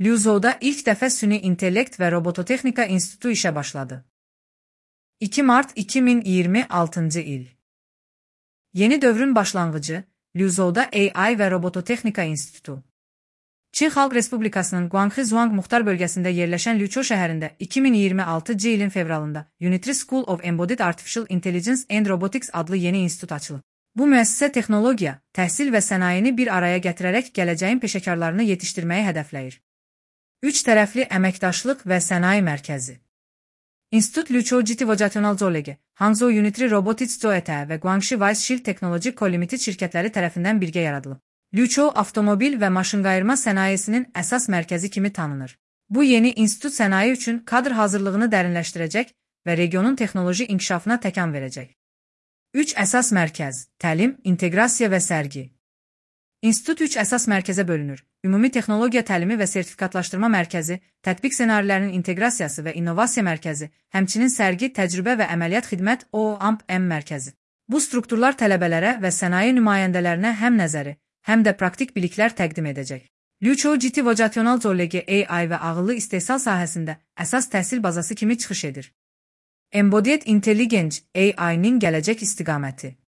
Liuzhou'da ilk dəfə Süni İntellekt və Robototexnika İnstitutu işə başladı. 2 Mart 2026 il. Yeni dövrün başlanğıcı, Liuzhou'da AI və Robototexnika İnstitutu. Çin Xalq Respublikasının Guangxi Zhuang Muxtar bölgəsində yerləşən Liuzhou şəhərində 2026 ilin fevralında Unitary School of Embodied Artificial Intelligence and Robotics adlı yeni institut açılıb. Bu müəssisə texnologiya, təhsil və sənayeni bir araya gətirərək gələcəyin peşəkarlarını yetişdirməyi hədəfləyir. 3 tərəfli əməkdaşlıq və sənaye mərkəzi. İnstitut Liuzhou Jiti Vocational Zolege, Hangzhou Unitary Robotics ZOET və Guangxi Vice Shield Technology Co. Limited şirkətləri tərəfindən birgə yaradılıb. Liuzhou avtomobil və maşınqayırma sənayesinin əsas mərkəzi kimi tanınır. Bu yeni institut sənaye üçün kadr hazırlığını dərinləşdirəcək və regionun texnoloji inkişafına təkan verəcək. 3 əsas mərkəz, təlim, inteqrasiya və sərgi. İnstitut 3 əsas mərkəzə bölünür. Ümumi Texnologiya Təlimi və Sertifikatlaşdırma Mərkəzi, Tətbiq Ssenarilərinin İnteqrasiyası və İnnovasiya Mərkəzi, həmçinin Sərgi, Təcrübə və Əməliyyat Xidmət OAMP-M Mərkəzi. Bu strukturlar tələbələrə və sənaye nümayəndələrinə həm nəzəri, həm də praktik biliklər təqdim edəcək. Liuzhou Jiti Vocational Zolege AI və ağıllı istehsal sahəsində əsas təhsil bazası kimi çıxış edir. Embodied Intelligence AI-nin gələcək istiqaməti.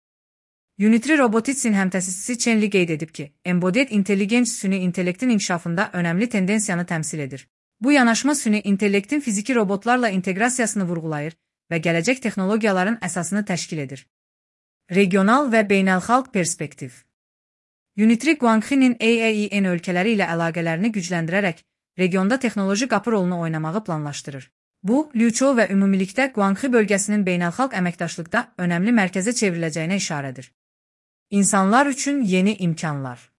Unitary Robotics'in həmtəsisçisi Chen Li qeyd edib ki, Embodied Intelligence süni intellektin inkişafında önəmli tendensiyanı təmsil edir. Bu yanaşma süni intellektin fiziki robotlarla inteqrasiyasını vurğulayır və gələcək texnologiyaların əsasını təşkil edir. Regional və beynəlxalq perspektiv. Unitary Guangxi'nin AAEN ölkələri ilə əlaqələrini gücləndirərək, regionda texnoloji qapı rolunu oynamağı planlaşdırır. Bu, Liuzhou və ümumilikdə Guangxi bölgəsinin beynəlxalq əməkdaşlıqda önəmli mərkəzə çevriləcəyinə işarədir. İnsanlar üçün yeni imkanlar.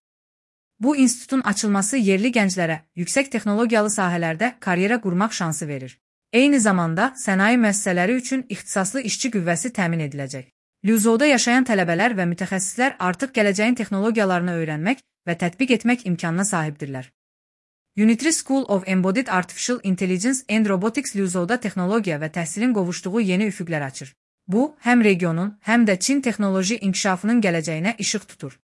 Bu institutun açılması yerli gənclərə yüksək texnologiyalı sahələrdə karyera qurmaq şansı verir. Eyni zamanda sənaye müəssisələri üçün ixtisaslı işçi qüvvəsi təmin ediləcək. Liuzhou'da yaşayan tələbələr və mütəxəssislər artıq gələcəyin texnologiyalarını öyrənmək və tətbiq etmək imkanına sahibdirlər. Unitary School of Embodied Artificial Intelligence and Robotics Liuzhou'da texnologiya və təhsilin qovuşduğu yeni üfüqlər açır. Bu, həm regionun, həm də Çin texnoloji inkişafının gələcəyinə işıq tutur.